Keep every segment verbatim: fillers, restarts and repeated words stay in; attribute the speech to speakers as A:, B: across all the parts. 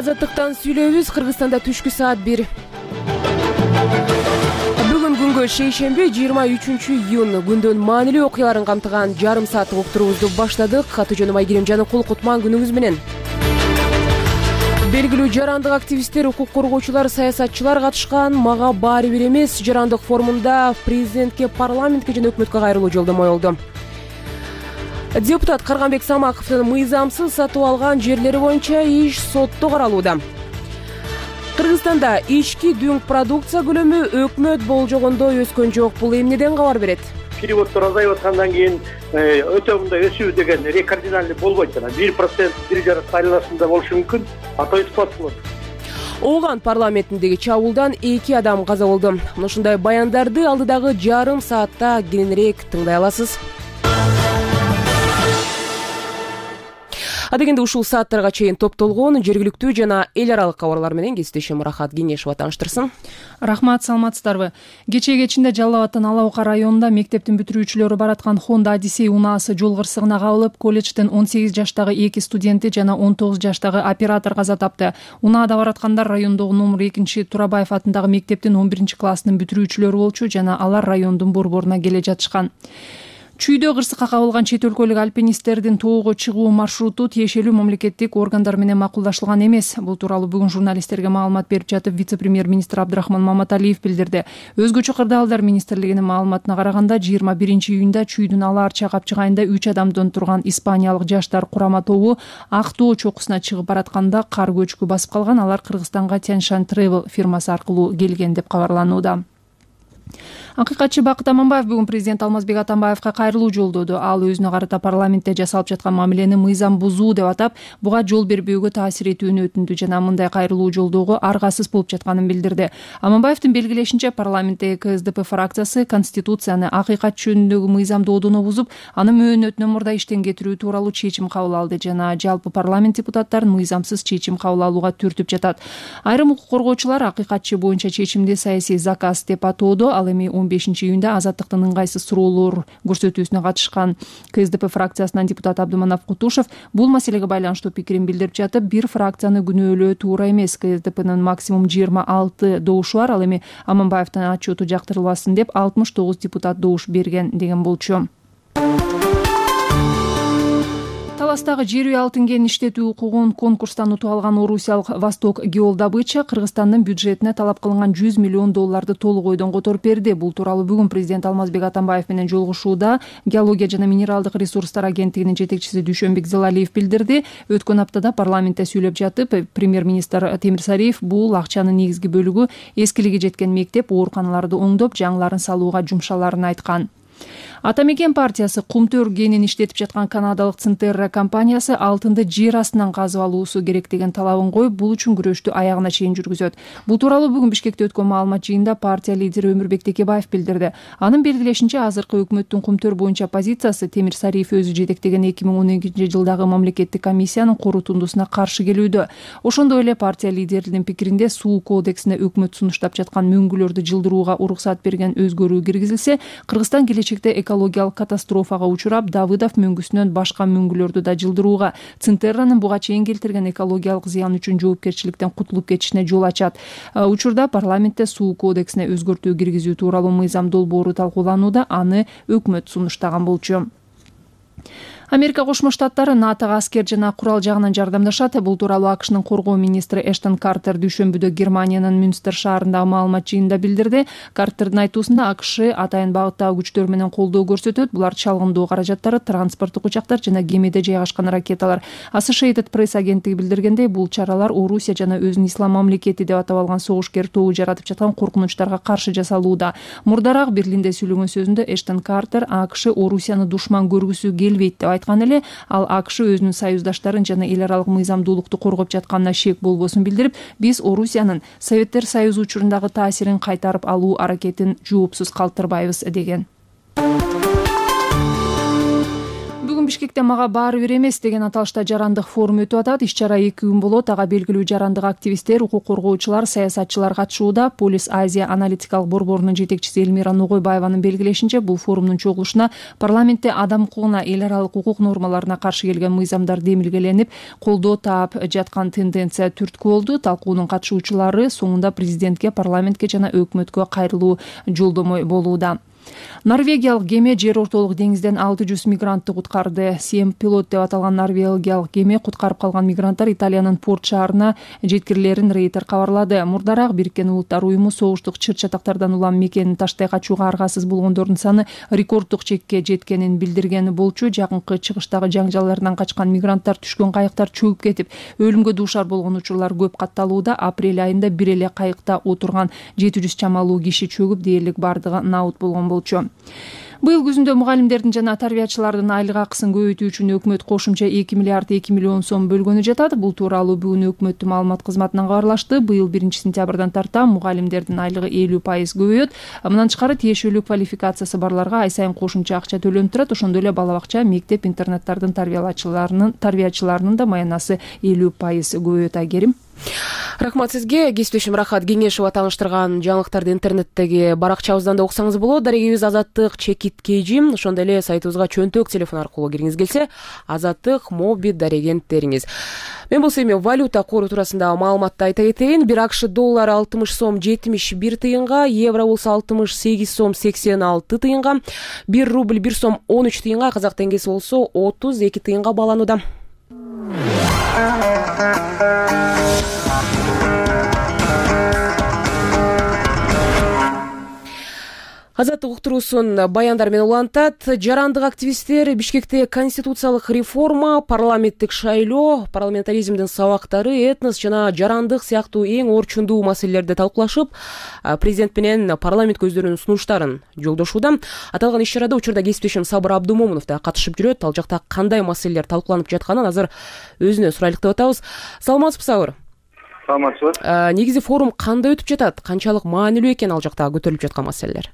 A: Азаттыктан сүйлөйбүз. Кыргызстанда түшкү саат бир. Бүгүн күнгө шейшемби жыйырма үчүнчү июнь күндүн маанилүү окуяларын камтыган жарым сааттык уктуруубузду баштадык. Аты-жөнүм Айгерим Жаныкул. Кутман күнүңүз менен. Белгилүү жарандык активисттер, укук коргоочулар, саясатчылар катышкан мага баары бир эмес жарандык форумунда президентке, парламентке жана өкмөткө кайрылуу жолдомо болду. Депутат Карганбек Самаковдун мыйзамсыз сатып алган жерлери боюнча иш сотто каралууда. Кыргызстанда ички дүң продукция көлөмү өкмөт болжогондой өскөн жок. Бул эмнеден кабар берет?
B: Переводдор азайып аткандан кийин өтө мындай өсүү деген рекординальный болбойт. жана бир процент бир жарым айланасында болушу мүмкүн. А то испат болот.
A: Ооган парламентиндеги чабуулдан эки адам каза болду. Ушундай баяндарды алдыдагы жарым саатта кененирээк тыңдай аласыз. Адегенде ушул сааттарга чейин топтолгон жергиликтүү жана эл аралык кабарлар менен кесиптешим Рахат Кеңешова тааныштырсын.
C: Рахмат, саламатсыздарбы? Кечээ кечинде Жалал Абадтын Ала Ока районунда мектептин бүтүрүүчүлөрү бараткан Honda Odyssey унаасы жол кырсыгына кабылып, колледждин он сегиз жаштагы эки студенти жана он тогуз жаштагы оператор каза тапты. Унаада бараткандар райондогу номер экинчи Турабаев атындагы мектептин он биринчи класснын бүтүрүүчүлөрү болчу жана алар райондун борборуна келе жатышкан. Чүйдө кырсыкка кабылган чет өлкөлүк альпинисттердин тоого чыгуу маршруту тиешелүү мамлекеттик органдар менен макулдашылган эмес. Бул тууралуу бүгүн журналисттерге маалымат берип жатып, вице-премьер-министр Абдрахман Маматалиев билдирди. Өзгөчө кырдаалдар министрлигинин маалыматына караганда, жыйырма биринчи июнда Чүйдүн Ала Арча капчыгайында үч адамдан турган испаниялык жаштар курама тобу Ак Тоо чокусуна чыгып баратканда кар көчкү басып калган. Алар Кыргызстанга Tianshan Travel фирмасы аркылуу келген деп кабарланууда. Акыйкатчы Бакыт Аманбаев бүгүн президент Алмазбек Атамбаевка кайрылуу жолдоду. Ал өзүнө карата парламентте жасалып жаткан мамилени мыйзам бузуу деп атап, буга жол бербөөгө таасир этүүнү өтүндү жана мындай кайрылуу жолдоого аргасыз болуп жатканын билдирди. Аманбаевдин белгилешинче, парламенттеги КСДП фракциясы конституцияны акыйкат жөнүндөгү мыйзамды одоно бузуп, аны мөөнөтүнөн мурда иштен кетирүү тууралуу чечим кабыл алды жана жалпы парламент депутаттарын мыйзамсыз чечим кабыл алууга түртүп жатат. Айрым укук коргоочулар акыйкатчы боюнча чечимди саясий заказ деп атоодо. Ал эми он бешинчи июнда Азаттыктын ыңгайсыз суроолор көрсөтүүсүнө катышкан КСДП фракциясынан депутат Абдыманап Кутушев бул маселеге байланыштуу пикирин билдирип жатып, бир фракцияны күнөөлөө туура эмес. КСДПнын максимум жыйырма алты добушу бар. Ал эми Аманбаевдин отчету жактырылбасын деп алтымыш тогуз депутат добуш берген деген болчу. Таластагы жер үй алтын кенин иштетүү укугун конкурстан утуп алган орусиялык Восток Геолдобыча Кыргызстандын бюджетине талап кылынган жүз миллион долларды толук ойдон которуп берди. Бул тууралуу бүгүн президент Алмазбек Атамбаев менен жолугушууда Геология жана минералдык ресурстар агенттигинин жетекчиси Дүйшөнбек Зелалиев билдирди. Өткөн аптада парламентте сүйлөп жатып, премьер-министр Темирсариев бул акчанын негизги бөлүгү эскилиги жеткен мектеп, ооруканаларды оңдоп, жаңыларын салууга жумшаларын айткан. Ата Мекен партиясы кумтөр кенин иштетип жаткан канадалык Цинтерра компаниясы алтынды жер астынан казып алуусу керек деген талабын коюп, бул үчүн күрөштү аягына чейин жүргүзөт. Бул тууралуу бүгүн Бишкекте өткөн маалымат жыйынында партия лидери Өмүрбек Текебаев билдирди. Анын белгилешинче, азыркы өкмөттүн кумтөр боюнча позициясы Темирсариев өзү жетектеген эки миң он экинчи жылдагы мамлекеттик комиссиянын корутундусуна каршы келүүдө. Ошондой эле партия лидеринин пикиринде суу кодексине өкмөт сунуштап жаткан мөңгүлөрдү жылдырууга уруксат берген өзгөрүү киргизилсе, Кыргызстан келечекте экологиялык катастрофага учурап, Давыдов мөңгүсүнөн башка мөңгүлөрдү да жылдырууга, Цинтерранын буга чейин келтирген экологиялык зыян үчүн жоопкерчиликтен кутулуп кетишине жол ачат. Учурда парламентте суу кодексине өзгөртүү киргизүү тууралуу мыйзам долбоору талкууланууда, аны өкмөт сунуштаган болчу. Америка Кошмо Штаттары НАТОга аскер жана курал жагынан жардамдашат. Бул тууралуу АКШнын коргоо министри Эштон Картер дүйшөмбүдө Германиянын Мюнстер шаарындагы маалымат жыйынында билдирди. Картердин айтуусунда, АКШ атайын багыттагы күчтөр менен колдоо көрсөтөт. Булар чалгындоо каражаттары, транспорттук учактар жана кемеде жайгашкан ракеталар. Associated Press агенттиги билдиргендей, бул чаралар Орусия жана өзүн ислам мамлекети деп атап алган согушкер тобу жаратып жаткан коркунучтарга каршы жасалууда. Мурдараак Берлинде сүйлөгөн сөзүндө Эштон Картер АКШ Орусияны душман көргүсү келбейт деп айткан эле, ал АКШ өзүнүн союздаштарын жана эл аралык мыйзамдуулукту коргоп жатканына шек болбосун билдирип, биз Орусиянын Советтер Союзу учурундагы таасирин кайтарып алуу аракетин жоопсуз калтырбайбыз деген. Бишкекте мага баары бир эмес деген аталышта жарандык форум өтүп атат. Иш чара эки күн болот. Ага белгилүү жарандык активисттер, укук коргоочулар, саясатчылар катышууда. Полис Азия аналитикалык борборунун жетекчиси Элмира Ногойбаеванын белгилешинче, бул форумдун чогулушуна парламентте адам укугуна, эл аралык укук нормаларына каршы келген мыйзамдар демилгеленип, колдоо таап жаткан тенденция түрткү болду. Талкуунун катышуучулары соңунда президентке, парламентке жана өкмөткө кайрылуу жолдомо болууда. Норвегиялык кеме жер ортолук деңизден алты жүз мигрантты куткарды. Сем пилот деп аталган норвегиялык кеме куткарып калган мигранттар Италиянын порт шаарына жеткирилерин Рейтер кабарлады. Мурдараак Бириккен Улуттар уюму согуштук чыр-чатактардан улам мекенин таштай качууга аргасыз болгондордун саны рекорддук чекке жеткенин билдирген болчу. Жакынкы чыгыштагы жаңжалдардан качкан мигранттар түшкөн кайыктар чөгүп кетип, өлүмгө дуушар болгон учурлар көп катталууда. Апрель айында бир эле кайыкта отурган жети жүз чамалуу киши чөгүп, дээрлик бардыгы наут болгон болчу. Быйыл күзүндө мугалимдердин жана тарбиячылардын айлык акысын көбөйтүү үчүн өкмөт кошумча эки миллиард эки миллион сом бөлгөнү жатат. Бул тууралуу бүгүн өкмөттүн маалымат кызматынан кабарлашты. Быйыл биринчи сентябрдан тарта мугалимдердин айлыгы элүү пайыз көбөйөт. Мындан тышкары тиешелүү квалификациясы барларга ай сайын кошумча акча төлөнүп турат. Ошондой эле бала бакча, мектеп, интернаттардын тарбиялаачыларынын тарбиячыларынын да маянасы элүү пайыз көбөйөт. Айгерим.
A: Рахмат сизге. Кесиптешим Рахат Кеңешова тааныштырган жаңылыктарды интернеттеги баракчабыздан да окусаңыз болот. Дарегибиз Азаттык Чекит Кежим. Ошондой эле сайтыбызга чөнтөк телефон аркылуу киргиңиз келсе, Азаттык моби дарегенттериңиз. Мен болсо эми валюта кору туурасындагы маалыматты айта кетейин. Бир АКШ доллары алтымыш сом жетимиш бир тыйынга, евро болсо алтымыш сегиз сом сексен алты тыйынга, бир рубль бир сом он үч тыйынга, казак теңгеси болсо отуз эки тыйынга бааланууда. Азаттык уктуруусун баяндар менен улантат. Жарандык активисттер Бишкекте конституциялык реформа, парламенттик шайлоо, парламентаризмдин сабактары, этнос жана жарандык сыяктуу эң орчундуу маселелерди талкуулашып, президент менен парламентке өздөрүнүн сунуштарын жолдошууда. Аталган иш чарада учурда кесиптешим Сабыр Абдумомунов да катышып жүрөт. Ал жакта кандай маселелер талкууланып жатканын азыр өзүнөн сурайлык деп атабыз. Саламатсызбы, Сабыр?
B: Саламатсызбы.
A: Негизи форум кандай өтүп жатат? Канчалык маанилүү экен ал жакта көтөрүлүп жаткан маселелер?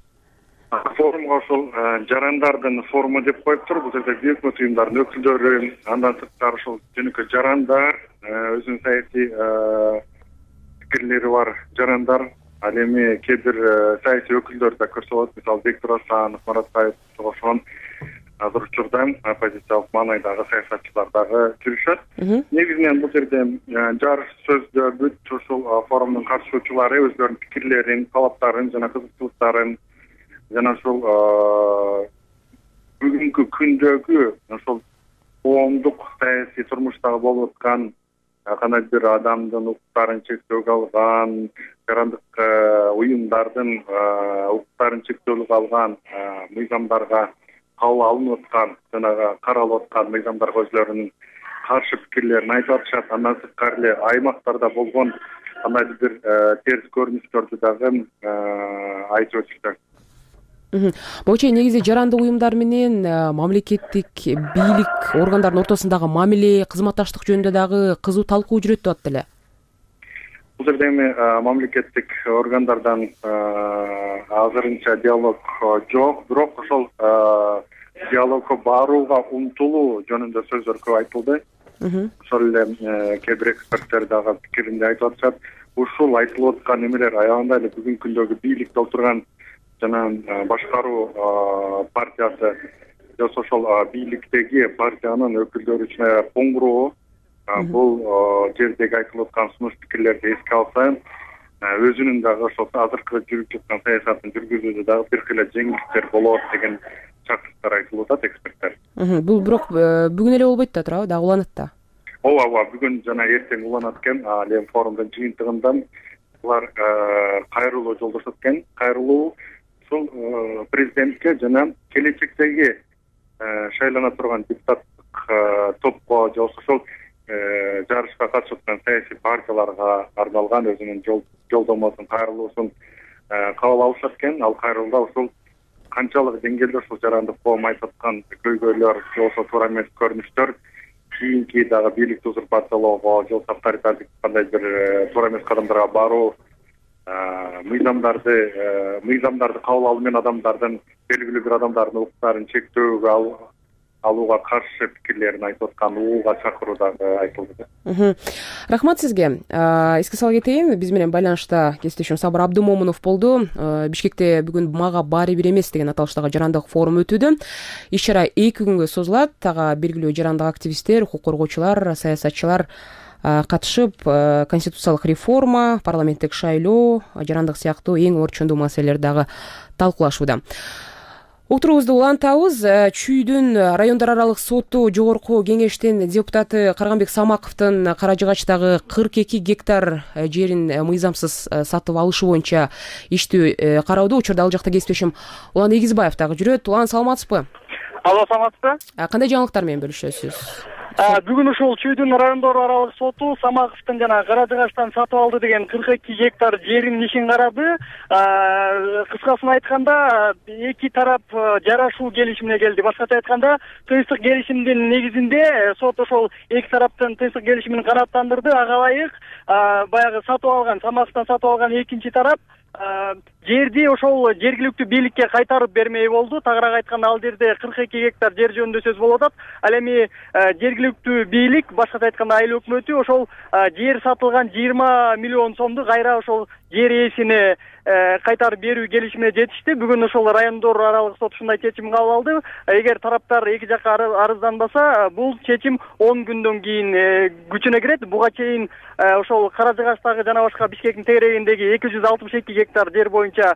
B: Форумга ошол жарандардын форуму деп коюптур. Бул жерде өкмөт уюмдарынын өкүлдөрү, андан сырткары ошол жөнөкөй жарандар, өзүнүн саясий пикирлери бар жарандар, ал эми кээ бир саясий өкүлдөр да көрсөтөт. Мисалы, Бектур Асанов, Маратбаев ошон азыр учурда оппозициялык маанайдагы саясатчылар дагы жүрүшөт. Негизинен бул жерде жарыш сөздө бүт ушул форумдун катышуучулары өздөрүнүн пикирлерин, талаптарын жана кызыкчылыктарын жана ошол бүгүнкү күндөгү ошол коомдук саясий турмуштагы болуп аткан кандайдыр адамдын укуктарын чектөөгө алган, жарандык уюмдардын укуктарын чектөөгө алган мыйзамдарга кабыл алынып аткан, жанагы каралып аткан мыйзамдарга өзлөрүнүн каршы пикирлерин айтып атышат. Андан сырткары эле аймактарда болгон кандайдыр бир терс көрүнүштөрдү дагы айтып өтүштү.
A: Могу негизи жарандык уюмдар менен мамлекеттик бийлик органдарынын ортосундагы мамиле, кызматташтык жөнүндө дагы кызуу талкуу жүрөт деп атты эле.
B: Бул жерде эми мамлекеттик органдардан азырынча диалог жок, бирок ошол диалогко барууга умтулуу жөнүндө сөздөр көп айтылды. Ошол эле кээ бир эксперттер дагы пикиринде айтып атышат. Ушул айтылып аткан эмелер аябында эле бүгүнкү күндөгү бийликте отурган жана башкаруу партиясы жана ошол бийликтеги партиянын өкүлдөрү үчүн аябай коңгуроо. Бул жердеги айтылып аткан сунуш пикирлерди эске алса, өзүнүн дагы ошол азыркы жүрүп жаткан саясатын жүргүзүүдө дагы бир кыйла жеңилдиктер болот деген чакырыктар айтылып атат эксперттер.
A: Бул бирок бүгүн эле болбойт да туурабы, дагы уланат да.
B: Ооба, ооба, бүгүн жана эртең уланат экен. Ал эми форумдун жыйынтыгында булар кайрылуу жолдошот экен. Кайрылуу ушул президентке жана келечектеги шайлана турган депутаттык топко же ошол жарышка катышып аткан саясий партияларга арналган өзүнүн жолдомосун, кайрылуусун кабыл алышат экен. Ал кайрылууда ушул канчалык деңгээлде ушул жарандык коом айтып аткан көйгөйлөр же болбосо туура эмес көрүнүштөр кийинки дагы бийликти узурпациялоого же болбосо авторитардык кандай бир туура эмес кадамдарга баруу, мыйзамдарды мыйзамдарды кабыл алуу менен адамдардын белгилүү бир адамдардын укуктарын чектөөгө алууга каршы пикирлерин айтып аткан уууга чакыруу дагы айтылды.
A: Рахмат сизге. Эске сала кетейин, биз менен байланышта кесиптешим Сабыр Абдумомунов болду. Бишкекте бүгүн мага баары бир эмес деген аталыштагы жарандык форум өтүүдө. Иш чара эки күнгө созулат. Ага белгилүү жарандык активисттер, укук коргоочулар, саясатчылар катышып, конституциялык реформа, парламенттик шайлоо, жарандык сыяктуу эң орчундуу маселелерди дагы талкуулашууда. Отурубузду улантабыз. Чүйдүн райондор аралык соту жогорку кеңештин депутаты Карганбек Самаковдун Кара Жыгачтагы кырк эки гектар жерин мыйзамсыз сатып алышы боюнча иштүү кароодо. Учурда ал жакта кесиптешим Улан Эгизбаев дагы жүрөт. Улан, саламатсызбы?
D: Алло, саламатсызбы?
A: Кандай жаңылыктар менен бөлүшөсүз?
D: Бүгүн ушул Чүйдүн райондор аралык соту Самаковдун жана Кара Жыгачтан сатып алды деген кырк эки гектар жерин ишин карады. Кыскасын айтканда, эки тарап жарашуу келишимине келди. Башкача айтканда, тынчтык келишимдин негизинде сот ошол эки тараптын тынчтык келишимин канааттандырды. Ага ылайык баягы сатып алган, Самаковдон сатып алган экинчи тарап жерди ошол жергиликтүү бийликке кайтарып бермей болду. Тагыраак айтканда, ал жерде кырк эки гектар жер жөнүндө сөз болуп атат. Ал эми жергиликтүү бийлик, башкача айтканда айыл өкмөтү, ошол жер сатылган жыйырма миллион сомду кайра ошол жер ээсине кайтарып берүү келишимине жетишти. Бүгүн ошол райондор аралык сот ушундай чечим кабыл алды. Эгер тараптар эки жакка арызданбаса, бул чечим он күндөн кийин күчүнө кирет. Буга чейин ошол Кара Жыгачтагы жана башка Бишкектин тегерегиндеги эки жүз алтымыш эки гектар жер боюнча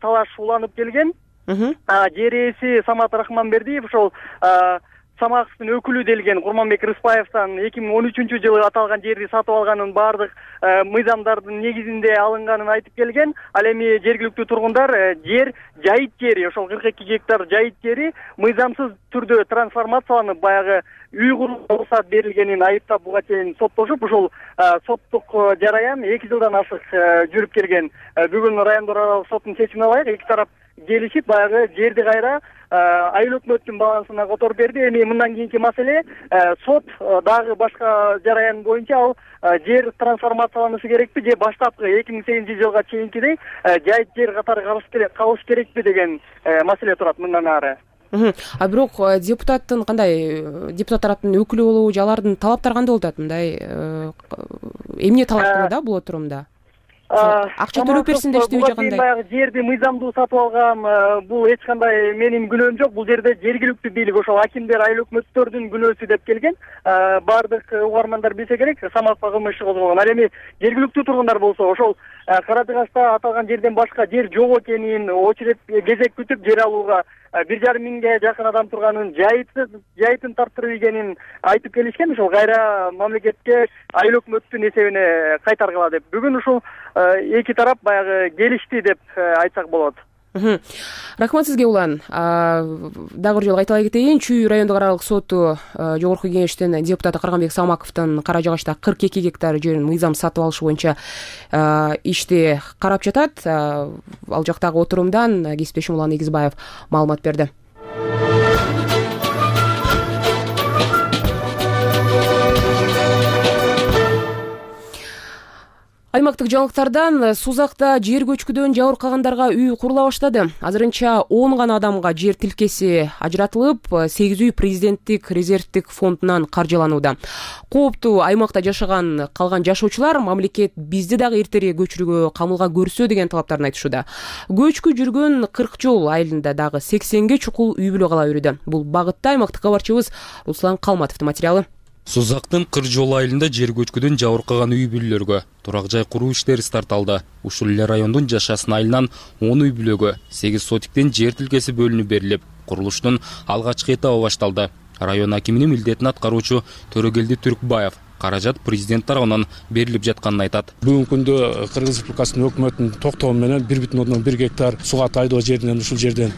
D: талаш уланып келген. Жер ээси Самат Рахманбердиев ошол Самаковдун өкүлү делген Курманбек Рыспаевден эки миң он үчүнчү жылы аталган жерди сатып алганын баардык мыйзамдардын негизинде алынганын айтып келген. Ал эми жергиликтүү тургундар жер жайыт жери, ошол кырк эки гектар жайыт жери мыйзамсыз түрдө трансформацияланып, баягы үй курууга уруксат берилгенин айыптап, буга чейин соттошуп, ушул соттук жараян эки жылдан ашык жүрүп келген. Бүгүн райондор аралык соттун чечимине ылайык эки тарап келишип, баягы жерди кайра айыл өкмөттүн балансына которуп берди. Эми мындан кийинки маселе, сот дагы башка жараян боюнча ал жер трансформацияланышы керекпи же баштапкы эки миң сегизинчи жылга чейинкидей жайыт жер катары калыш керекпи деген маселе турат мындан ары.
A: А бирок депутаттын кандай, депутат тараптын өкүлү болобу же алардын талаптары кандай болуп атат? Мындай эмне талап кылуу да бул отурумда? Акча төлөп берсин дештиби же кандай?
D: Баягы жерди мыйзамдуу сатып алган, бул эч кандай менин күнөөм жок. Бул жерде жергиликтүү бийлик, ошол акимдер, айыл өкмөттөрдүн күнөөсү деп келген. Бардык угармандар билсе керек, Самаковго кылмыш иши козголгон. Ал эми жергиликтүү тургундар болсо, ошол Кара Жыгачта аталган жерден башка жер жок экенин, очередь кезек күтүп жер алууга бир жарым миңге жакын адам турганын, жайытын тарттырып ийгенин айтып келишкен. Ошол кайра мамлекетке айыл өкмөттүн эсебине кайтаргыла деп. Бүгүн ушул эки тарап баягы келишти деп айтсак болот.
A: Рахмат сизге, Улан. Дагы бир жолу кайталай кетейин. Чүй райондук аралык соту жогорку кеңештин депутаты Карганбек Самаковдун Кара Жыгачта кырк эки гектар жерин мыйзам сатып алышы боюнча ишти карап жатат. Ал жактагы отурумдан кесиптешим Улан Эгизбаев маалымат берди. Аймактык жаңылыктардан Сузакта жер көчкүдөн жабыркагандарга үй курула баштады. Азырынча он гана адамга жер тилкеси ажыратылып, сегиз үй президенттик резервдик фондунан каржыланууда. Кооптуу аймакта жашаган калган жашоочулар мамлекет бизди дагы эртерээк көчүрүүгө камылга көрсө деген талаптарын айтышууда. Көчкү жүргөн кырк жол айылында дагы сексенге чукул үй бүлө кала берүүдө. Бул багытта аймактык кабарчыбыз Руслан Калматовдун материалы.
E: Сузактын Кыржол айылында жер көчкүдөн жабыркаган үй бүлөлөргө турак жай куруу иштери старт алды. Ушул эле райондун Жашасын айылынан он үй бүлөгө сегиз сотиктен жер тилкеси бөлүнүп берилип, курулуштун алгачкы этабы башталды. Район акиминин милдетин аткаруучу Төрөгелди Түркбаев каражат президент тарабынан берилип жатканын айтат.
F: Бүгүнкү күндө Кыргыз Республикасынын өкмөтүнүн токтоо менен бир бүтүн ондон бир гектар суга тайдоо жеринен ушул жерден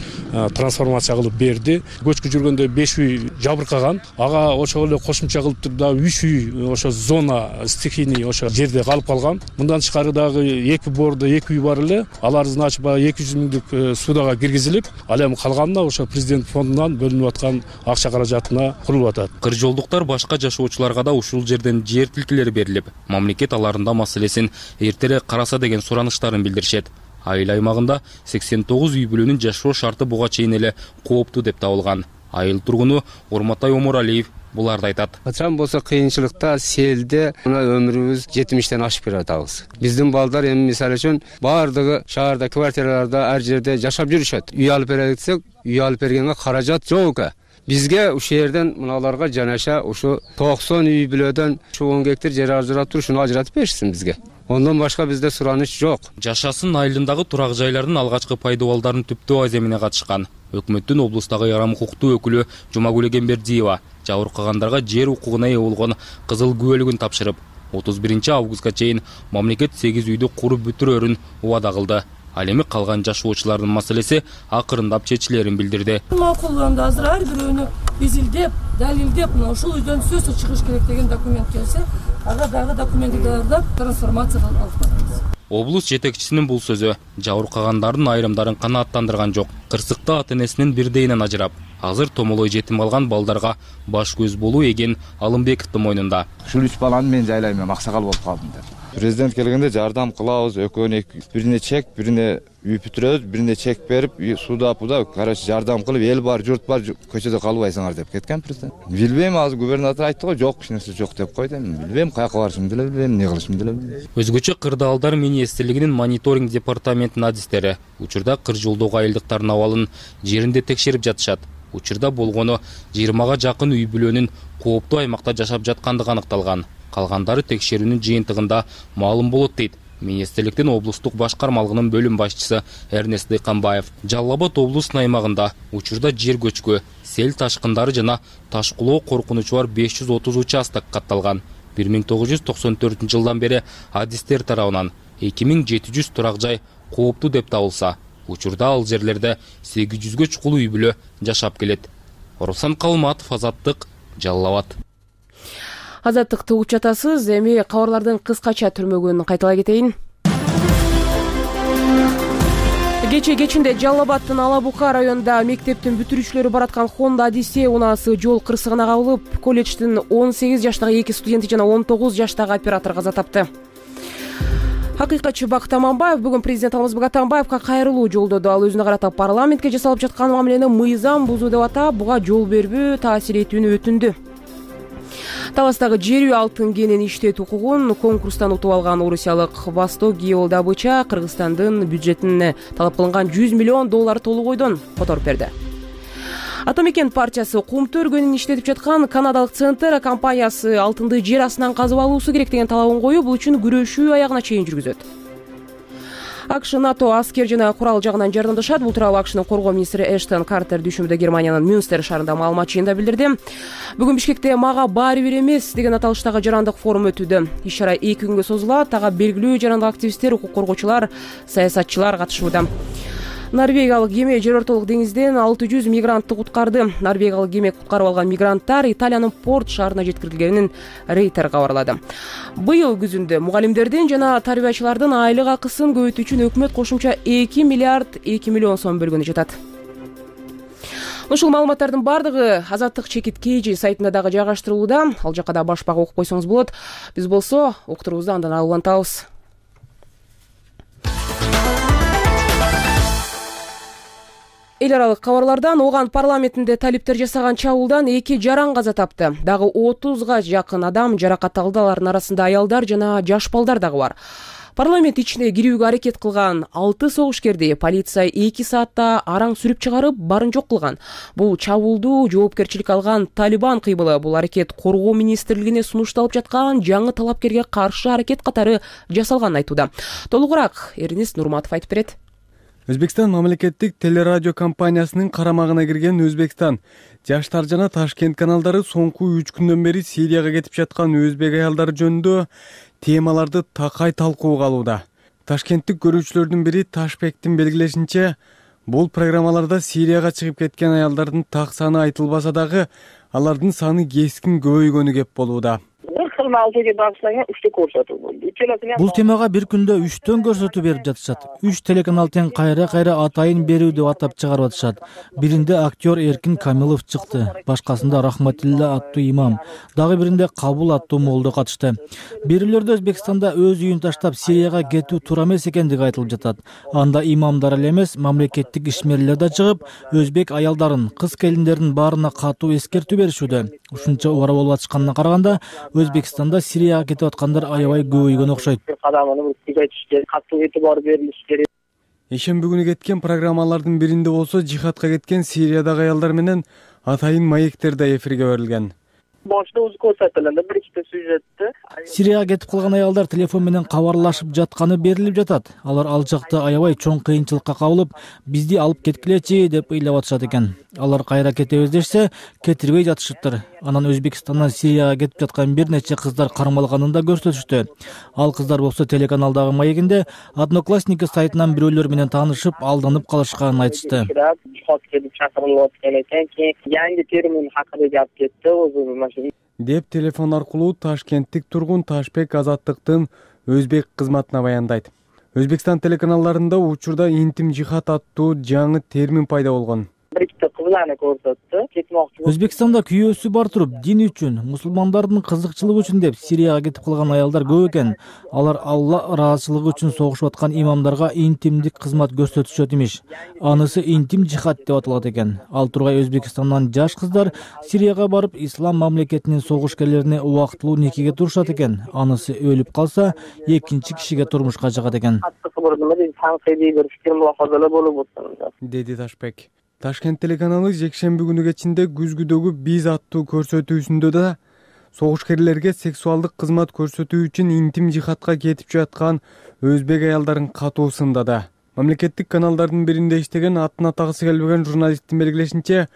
F: трансформация кылып берди. Көчкү жүргөндө беш үй жабыркаган. Ага ошол эле кошумча кылып дагы үч үй ошо зона стихийный ошо жерде калып калган. Мындан тышкары дагы эки бордо эки үй бар эле. Алардын ачып эки жүз миңдик судага киргизилип, ал эми калганына ошо президент фондунан бөлүнүп аткан акча каражатына курулуп атат.
E: Кыржолдуктар башка жашоочуларга да ушул жерден жер тилкелери берилип, мамлекет аларында маселесин эртерээк караса деген сураныштарын билдиришет. Айыл аймагында сексен тогуз үй бүлөнүн жашоо шарты буга чейин эле кооптуу деп табылган. Айыл тургуну Урматай Омуралиев буларды айтат.
G: Качан болсо кыйынчылыкта, селде мына өмүрүбүз жетимиштен ашып келатабыз. Биздин балдар эми мисалы үчүн баардыгы шаарда, квартираларда, ар жерде жашап жүрүшөт. Үй алып берели десек, үй алып бергенге каражат жок экен. Бизге ушул жерден мыналарга жанаша ушу токсон үй бүлөдөн ушу он гектар жер ажырап туруп, шуну ажыратып беришсин бизге. Ондан башка бизде сураныч жок.
E: Жашасын айылындагы турак жайлардын алгачкы пайдалууларын түптөө аземине катышкан өкмөттүн облустагы ярым укуктуу өкүлү Жумагүл Эгембердиева жабыркагандарга жер укугуна ээ болгон кызыл күбөлүгүн тапшырып, отуз биринчи августка чейин мамлекет сегиз үйдү куруп бүтүрөрүн убада кылды. Ал эми калган жашоочулардын маселеси акырындап чечилерин билдирди.
H: Макулданда азыр ар бирөөнү изилдеп, далилдеп, мына ушул үйдөн сөзсүз чыгыш керек деген документ келсе, ага дагы документти даярдап трансформация кылып атабыз.
E: Облус жетекчисинин бул сөзү жабыркагандардын айрымдарын канааттандырган жок. Кырсыкта ата-энесинин бирдейинен ажырап, азыр томолой жетим калган балдарга баш көз болуу эген Алымбековдун мойнунда.
I: Ушул үч баланы мен жайлайм, мен аксакал болуп калдым деп. Президент келгенде жардам кылабыз, экөөнү бирине чек, бирине үй бүтүрөбүз, бирине чек берип, суда пуда, короче, жардам кылып, эл бар, журт бар, көчөдө калбайсыңар деп кеткен президент. Билбейм, азыр губернатор айтты го, жок, эч нерсе жок деп койду. Билбейм, каяка барышымды деле билбейм, эмне кылышымды деле билбейм.
E: Өзгөчө кырдаалдар министрлигинин мониторинг департаментинин адистери учурда кыр жолдогу айылдыктардын абалын жеринде текшерип жатышат. Учурда болгону жыйырмага жакын үй бүлөнүн кооптуу аймакта жашап жаткандыгы аныкталган. Калгандары текшерүүнүн жыйынтыгында маалым болот дейт министрликтин облустук башкармалыгынын бөлүм башчысы Эрнест Дыйканбаев. Жалал Абад облусунун аймагында учурда жер көчкү, сел ташкындары жана таш кулоо коркунучу бар беш жүз отуз участок катталган. бир миң тогуз жүз токсон төртүнчү жылдан бери адистер тарабынан эки миң жети жүз турак жай кооптуу деп табылса, учурда ал жерлерде сегиз жүзгө чукул үй бүлө жашап келет. Руслан Калматов, Азаттык, Жалал Абад.
A: Азаттыкты угуп жатасыз. Эми кабарлардын кыскача түрмөгүн кайталай кетейин. Кече кечинде Жалал Абадтын Алабука районунда мектептин бүтүрүүчүлөрү бараткан Honda Odyssey унаасы жол кырсыгына кабылып, колледждин он сегиз жаштагы эки студенти жана он тогуз жаштагы оператор каза тапты. Акыйкатчы Бакыт Аманбаев бүгүн президент Алмазбек Атамбаевка кайрылуу жолдоду. Ал өзүнө карата парламентке жасалып жаткан мамилени мыйзам бузуу деп атап, буга жол бербөө таасир этүүнү өтүндү. Таластагы жер үй алтын кенин иштетүү укугун конкурстан утуп алган орусиялык Восток Геолдобыча Кыргызстандын бюджетине талап кылынган жүз миллион доллар толук ойдон которуп берди. Атамекен партиясы кумту өргөнүн иштетип жаткан канадалык Центр компаниясы алтынды жер астынан казып алуусу керек деген талабын коюп, бул үчүн күрөшүү аягына чейин жүргүзөт. АКШ НАТО аскер жана курал жагынан жардамдашат. Бул тууралуу АКШнын коргоо министри Эштон Картер дүйшөмбүдө Германиянын Мюнстер шаарында маалымат жыйында билдирди. Бүгүн Бишкекте мага баары бир эмес деген аталыштагы жарандык форум өтүүдө. Иш-чара эки күнгө созулат. Ага белгилүү жарандык активисттер, укук коргоочулар, саясатчылар катышууда. Норвегиялык кеме жер ортолук деңизден алты жүз мигрантты куткарды. Норвегиялык кеме куткарып алган мигранттар Италиянын Порт шаарына жеткирилгенин Рейтер кабарлады. Быйыл күзүндө мугалимдердин жана тарбиячылардын айлык акысын көбөйтүү үчүн өкмөт кошумча эки миллиард эки миллион сом бөлгөнү жатат. Ушул маалыматтардын бардыгы Азаттык чекит Кж сайтында дагы жайгаштырылууда. Ал жакка да баш бага окуп койсоңуз болот. Биз болсо уктурубузду андан улантабыз. Эл аралык кабарлардан Оган парламентинде талиптер жасаган чабуулдан эки жаран каза тапты. Дагы отузга жакын адам жаракат алды. Алардын арасында аялдар жана жаш балдар дагы бар. Парламент ичине кирүүгө аракет кылган алты согушкерди полиция эки саатта араң сүрүп чыгарып, барын жок кылган. Бул чабуулду жоопкерчилик алган Талибан кыймылы. Бул аракет коргоо министрлигине сунушталып жаткан жаңы талапкерге каршы аракет катары жасалганын айтууда. Толугураак Эрнест Нурматов айтып берет.
J: Өзбекстан мамлекеттик телерадио компаниясынын карамагына кирген Өзбекстан жаштар жана Ташкент каналдары соңку үч күндөн бери Сирияга кетип жаткан өзбек аялдары жөнүндө темаларды такай талкууга алууда. Ташкенттик көрүүчүлөрдүн бири Ташбектин белгилешинче, бул программаларда Сирияга чыгып кеткен аялдардын так саны айтылбаса дагы, алардын саны кескин көбөйгөнү кеп болууда.
K: Ошол кыркынын алтыга багышталган үчтө көрсөтүү болду. Үчөлөсүнө
L: бул темага бир күндө үчтөн көрсөтүү берип жатышат. Үч телеканал тең кайра кайра атайын берүү деп атап чыгарып атышат. Биринде актер Эркин Камилов чыкты, башкасында Рахматилла аттуу имам, дагы биринде Кабул аттуу молдо катышты. Бирөөлөрдө Өзбекстанда өз үйүн таштап Сирияга кетүү туура эмес экендиги айтылып жатат. Анда имамдар эле эмес, мамлекеттик ишмерлер да чыгып, өзбек аялдарын, кыз келиндердин баарына катуу эскертүү беришүүдө. Ушунча убара болуп атышканына караганда, Өзбекстанда Сирияга кетип аткандар аябай көбөйгөн окшойт.
K: Кадамын күзөтүш керек, катуу этибар берилиш керек.
J: Ишемби күнү кеткен программалардын биринде болсо жихадка кеткен Сириядагы аялдар менен атайын маектер да эфирге берилген.
K: Башта өзү көрсөтүлгөндө бир ikkita сюжетти.
L: Сирияга кетип калган аялдар телефон менен кабарлашып жатканы берилип жатат. Алар ал жакта аябай чоң кыйынчылыкка кабылып, бизди алып кеткилечи деп ыйлап атышат экен. Алар кайра кетебиз дешсе, кетирбей жатышыптыр. Анан Өзбекстандан Сирияга кетип жаткан бир нече кыздар кармалганын да көрсөтүштү. Ал кыздар болсо телеканалдагы маегинде Одноклассники сайтынан бирөөлөр менен таанышып, алданып калышканын айтышты.
K: Yangi termin haqida gap ketdi, o'zi
J: деп телефон аркылуу ташкенттик тургун Ташбек Азаттыктын өзбек кызматына баяндайт. Өзбекстан телеканалдарында учурда интим жихад аттуу жаңы термин пайда болгон.
K: bir ikkita qizlarni ko'rsatdi. Ketmoqchi.
L: Өзбекстанда күйөөсү бар туруп, дин үчүн, мусулмандардын кызыкчылыгы үчүн деп Сирияга кетип калган аялдар көп экен. Алар Алла ыраазычылыгы үчүн согушуп аткан имамдарга интимдик кызмат көрсөтүшөт имиш. Анысы интим жихад деп аталат экен. Ал тургай Өзбекстандан жаш кыздар Сирияга барып, ислам мамлекетинин согушкерлерине убактылуу никеге турушат экен. Анысы өлүп калса, экинчи кишиге турмушка жагат экен.
J: Деди Ташбек. Ташкент телеканалы жекшемби күнү кечинде күзгүдөгү биз аттуу көрсөтүүсүндө да согушкерлерге сексуалдык кызмат көрсөтүү үчүн интим жихадка кетип жаткан өзбек аялдарын катуу сындады. Мамлекеттик каналдардын биринде иштеген атын атагысы келбеген журналисттин белгилешинче,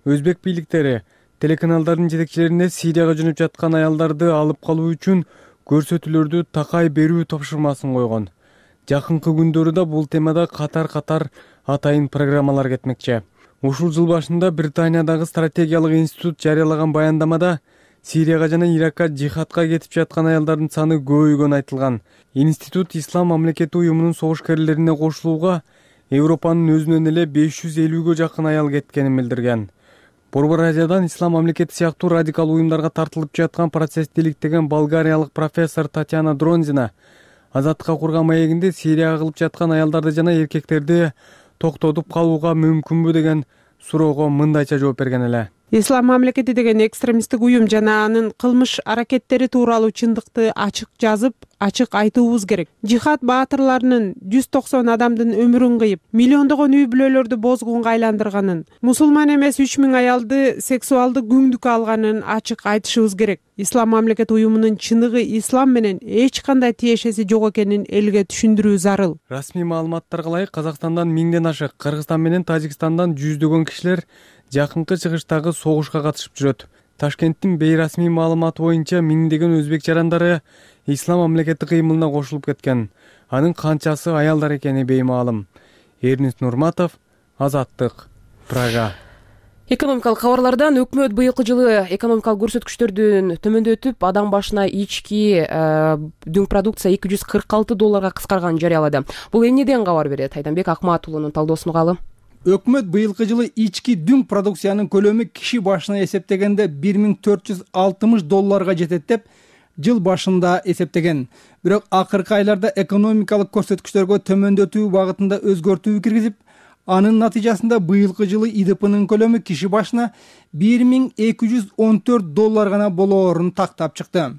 J: өзбек бийликтери телеканалдардын жетекчилерине Сирияга жөнөп жаткан аялдарды алып калуу үчүн көрсөтүүлөрдү такай берүү тапшырмасын койгон. Жакынкы күндөрү да бул темада катар-катар атайын программалар кетмекчи. Ушул жыл башында Британиядагы стратегиялык институт жарыялаган баяндамада Сирияга жана Иракка жихадка кетип жаткан аялдардын саны көбөйгөнү айтылган. Институт Ислам мамлекети уюмунун согушкерлерине кошулууга Европанын өзүнөн эле беш жүз элүүгө жакын аял кеткенин билдирген. Борбор Азиядан Ислам мамлекети сыяктуу радикал уюмдарга тартылып жаткан процессти иликтеген болгариялык профессор Татьяна Дронзина Азаттыкка курган маегинде Сирияга кылып жаткан аялдарды жана эркектерди токтотуп калууга мүмкүнбү деген суроого мындайча жооп берген эле.
M: Ислам мамлекети деген экстремисттик уюм жана анын кылмыш аракеттери тууралуу чындыкты ачык жазып, ачык айтуубуз керек. Жихад баатырларынын жүз токсон адамдын өмүрүн кыйып, миллиондогон үй бүлөлөрдү бозгунга айландырганын, мусулман эмес үч миң аялды сексуалдык күңдүккө алганын ачык айтышыбыз керек. Ислам мамлекети уюмунун чыныгы ислам менен эч кандай тиешеси жок экенин элге түшүндүрүү зарыл.
J: Расмий маалыматтарга ылайык Казакстандан миңден ашык, Кыргызстан менен Тажикстандан жүздөгөн кишилер жакынкы чыгыштагы согушка катышып жүрөт. Ташкенттин бейрасмий маалыматы боюнча миңдеген өзбек жарандары Ислам мамлекети кыймылына кошулуп кеткен. Анын канчасы аялдар экени беймаалым. Эрнис Нурматов, Азаттык, Прага.
A: Экономикалык кабарлардан өкмөт быйылкы жылы экономикалык көрсөткүчтөрдүн төмөндөтүп, адам башына ички дүң продукция эки жүз кырк алты долларга кыскарганын жарыялады. Бул эмнеден кабар берет? Айданбек Акматулунун талдоосун угалы.
N: Өкмөт быйылкы жылы ички дүң продукциянын көлөмү киши башына эсептегенде бир миң төрт жүз алтымыш долларга жетет деп жыл башында эсептеген. Бирок акыркы айларда экономикалык көрсөткүчтөргө төмөндөтүү багытында өзгөртүү киргизип, анын натыйжасында быйылкы жылы ИДПнын көлөмү киши башына бир миң эки жүз он төрт доллар гана болоорун тактап чыкты.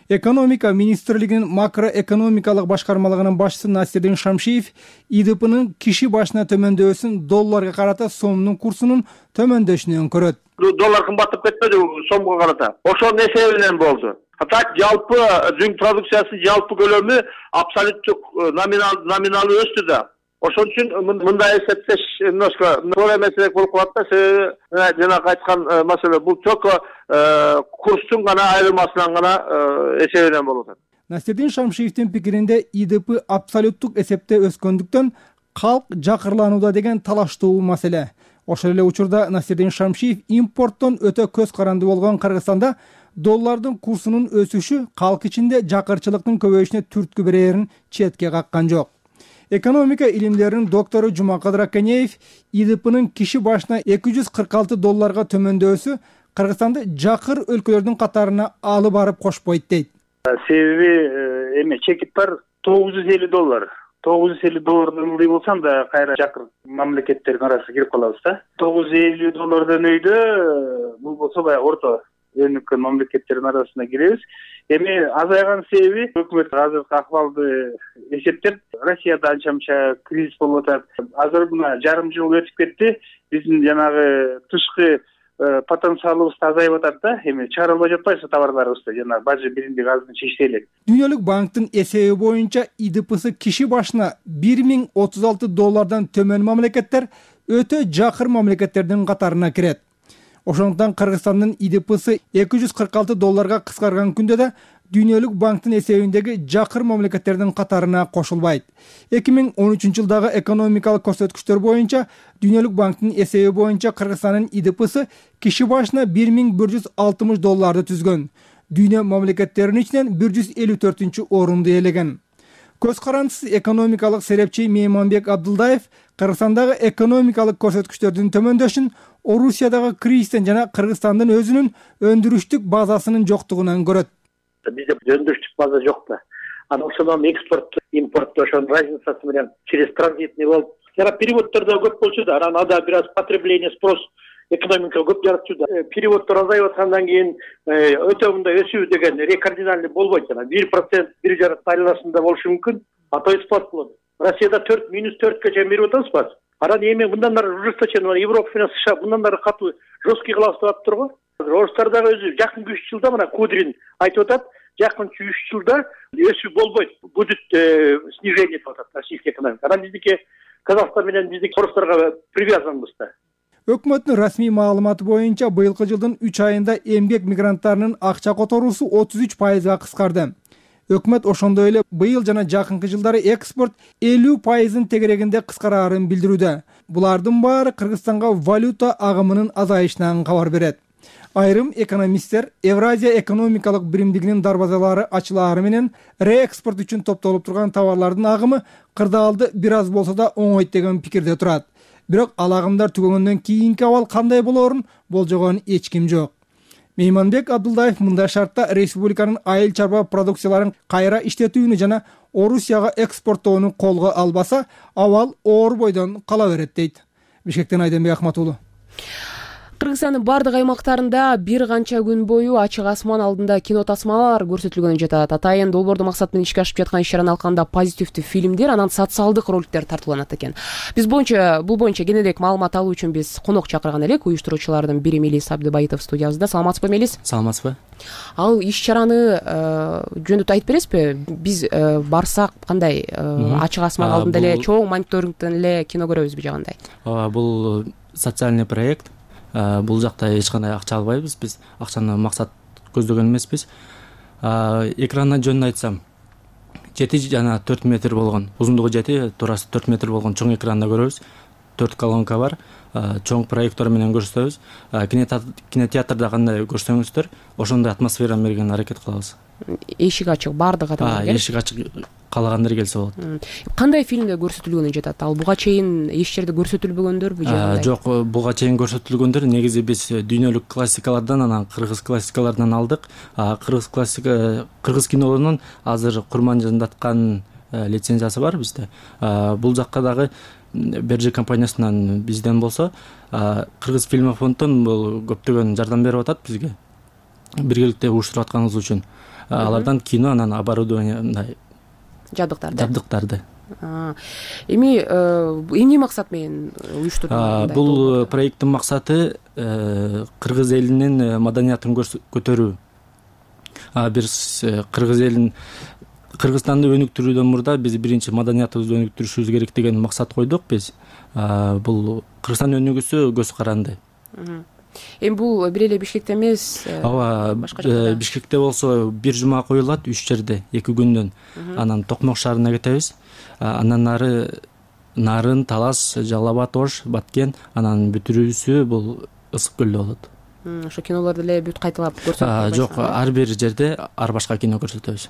N: Экономика министрлигинин макроэкономикалык башкармалыгынын башчысы Насирдин Шамшиев ИДПнын киши башына төмөндөсүн долларга карата сомдун курсунун төмөндөшүнөн көрөт.
O: Доллар кымбаттап кетпеди сомго карата. Ошонун эсебинен болду. Так жалпы дүң продукциясынын жалпы көлөмү абсолюттук номинал номиналы өстү да. Ошон үчүн мындай эсептеш немножко туура эмесирээк болуп калат да. Себеби жанагы айткан маселе бул только курстун гана айырмасынан гана эсебинен болуп атат.
N: Насирдин Шамшиевдин пикиринде ИДП абсолюттук эсепте өскөндүктөн калк жакырланууда деген талаштуу маселе. Ошол эле учурда Насирдин Шамшиев импорттон өтө көз каранды болгон Кыргызстанда доллардын курсунун өсүшү калк ичинде жакырчылыктын көбөйүшүнө түрткү берерин четке каккан жок. Экономика илимдеринин доктору Жумакадыр Аканеев ИДПнын киши башына эки жүз кырк алты долларга төмөндөсү Кыргызстанды жакыр өлкөлөрдүн катарына алып барып кошпойт дейт.
P: Себеби эме чекит бар тогуз жүз элүү доллар. тогуз жүз элүү доллардан ылдый болсо анда кайра жакыр мамлекеттердин арасына кирип калабыз да. тогуз жүз элүү доллардан өйдө бул болсо баягы орто өнүккөн мамлекеттердин арасына киребиз. Эми азайган себеби өкмөт азыркы акыбалды эсептеп, Россияда анча мынча кризис болуп атат. Азыр мына жарым жыл өтүп кетти. Биздин жанагы тышкы потенциалыбыз азайып атат да. Эми чыгарылбай жатпайбы товарларыбызды, жанагы бажы биримдик азырын чечти элек.
N: Дүйнөлүк банктын эсеби боюнча ИДПсы киши башына бир миң отуз алты доллардан төмөн мамлекеттер өтө жакыр мамлекеттердин катарына кирет. Ошондуктан Кыргызстандын ИДПсы эки жүз кырк алты долларга кыскарган күндө да Дүйнөлүк банктын эсебиндеги жакыр мамлекеттердин катарына кошулбайт. эки миң он үчүнчү жылдагы экономикалык көрсөткүчтөр боюнча Дүйнөлүк банктын эсеби боюнча Кыргызстандын ИДПсы киши башына бир миң бир жүз алтымыш долларды түзгөн. Дүйнө мамлекеттеринин ичинен бир жүз элүү төртүнчү орунду ээлеген. Көз карандысыз экономикалык серепчи Мейманбек Абдылдаев Кыргызстандагы экономикалык көрсөткүчтөрдүн төмөндөшүн Орусиядагы кризистен жана Кыргызстандын өзүнүн өндүрүштүк базасынын жоктугунан көрөт.
Q: Бизде өндүрүштүк база жок да. Анан ошондон экспорт, импорт ошонун разницасы менен через транзитный болуп, жана переводдор да көп болчу да. Анан ада бир аз потребление, спрос экономика көп жаратчу да. Переводдор азайып аткандан кийин өтө мындай өсүү деген кардинальный болбойт жана бир процент, бир жарым айланасында болушу мүмкүн. А то спад болот. Россияда төрт минус төрткө чейин берип атабыз спад. Анан эми мындан ары ужесточение, Европа менен США мындан ары катуу жесткий кылабыз деп атыптырго. Орустар дагы өзү жакынкы үч жылда мына Кудрин айтып атат, жакынкы үч жылда өсүү болбойт, будет снижение деп атат российский экономика. Анан биздики Казакстан менен биздики орустарга привязанбыз да.
N: Өкмөттүн расмий маалыматы боюнча быйылкы жылдын үч айында эмгек мигранттарынын акча которуусу отуз үч пайызга кыскарды. Өкмөт ошондой эле быйыл жана жакынкы жылдары экспорт элүү пайыздын тегерегинде кыскараарын билдирүүдө. Булардын баары Кыргызстанга валюта агымынын азайышынан кабар берет. Айрым экономисттер Евразия экономикалык биримдигинин дарбазалары ачылаары менен реэкспорт үчүн топтолуп турган товарлардын агымы кырдаалды бир аз болсо да оңойт деген пикирде турат. Бирок ал агымдар түгөгөндөн кийинки абал кандай болоорун болжогон эч ким жок. Мейманбек Абдылдаев мындай шартта республиканын айыл чарба продукцияларын кайра иштетүүнү жана Орусияга экспорттоону колго албаса, абал оор бойдон кала берет дейт. Бишкектен Айденбек Ахматуулу.
A: Кыргызстандын бардык аймактарында бир канча күн бою ачык асман алдында кино тасмалар көрсөтүлгөнү жатат. Атайын долбоордуу максат менен ишке ашып жаткан иш-чараны алканда позитивдүү фильмдер, анан социалдык роликтер тартууланат экен. Биз боюнча бул боюнча кененирээк маалымат алуу үчүн биз конок чакырган элек. Уюштуруучулардын бири Мелис Абдыбайытов студиябызда. Саламатсызбы, Мелис?
E: Саламатсызбы.
A: Ал иш-чараны жөндөтүп айтып бересизби? Биз барсак кандай ачык асман алдында эле чоң мониторингден эле кино көрөбүзбү же кандай?
E: Бул социальный проект. Бул жакта эч кандай акча албайбыз, биз акчаны максат көздөгөн эмеспиз. Экранын жөнүн айтсам, жети жана төрт метр болгон, узундугу жети, турасы төрт метр болгон чоң экранда көрөбүз. төрт колонка бар, чоң проектор менен көрсөтөбүз. Кинотеатрда кандай көрсөңүздөр, ошондой атмосфераны берген аракет кылабыз.
A: Эшик ачык, бардык адамдар.
E: Эшик ачык, каалагандар келсе болот.
A: Кандай фильмде көрсөтүлгөнү жатат? Ал буга чейин эч жерде көрсөтүлбөгөндөрбү же кандай?
E: Жок, буга чейин көрсөтүлгөндөр негизи биз дүйнөлүк классикалардан, анан кыргыз классикаларынан алдык. Кыргыз классика, кыргыз кинолорунун азыр курманжандаткан лицензиясы бар бизде. Бул жакка дагы Берже компаниясынан бизден болсо, Кыргыз фильмофонддон бул көптөгөн жардам берип атат бизге. Биргеликте уюштуруп атканыбыз үчүн. Алардан кино, анан оборудование мындай
A: жабдыктарды.
E: Жабдыктарды.
A: Эми эмне максат менен уюштурулган?
E: Бул проекттин максаты кыргыз элинин маданиятын көтөрүү. Биз кыргыз элин Кыргызстанды өнүктүрүүдөн мурда биз биринчи маданиятыбызды өнүктүрүшүбүз керек деген максат койдук биз. Бул Кыргызстан өнүгүүсү көз каранды.
A: Эми бул бир эле Бишкекте эмес,
E: ооба, Бишкекте болсо бир жума коюлат, үч жерде, эки күндөн. Анан Токмок шаарына кетебиз. Андан нары Нарын, Талас, Жалал абад, Ош, Баткен, анан бүтүрүүсү бул Ысык көлдө болот.
A: ошо кинолорду эле бүт кайталап көрсөтөбүз?
R: Жок, ар бир жерде ар башка кино көрсөтөбүз.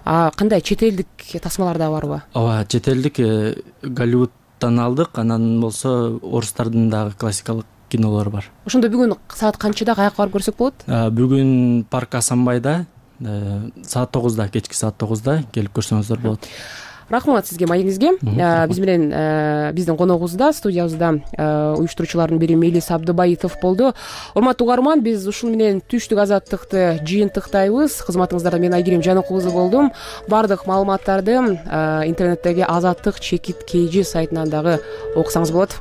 A: А кандай чет элдик тасмалар дагы барбы?
R: Ооба, чет элдик Голливудтан алдык, анан болсо орустардын дагы классикалык кинолору бар.
A: Ошондо бүгүн саат канчада каяка барып көрсөк болот?
R: Бүгүн парк Асанбайда саат тогузда, кечки саат тогузда келип көрсөңүздөр болот.
A: Рахмат сизге, маегиңизге. Биз менен биздин коногубузда, студиябызда уюштуруучулардын бири Мелис Абдыбаитов болду. Урматтуу угарман, биз ушул менен түштүк азаттыкты жыйынтыктайбыз. Кызматыңыздарда мен Айгерим Жаныкулузу болдум. Бардык маалыматтарды интернеттеги Азаттык чекит kg сайтынан дагы окусаңыз болот.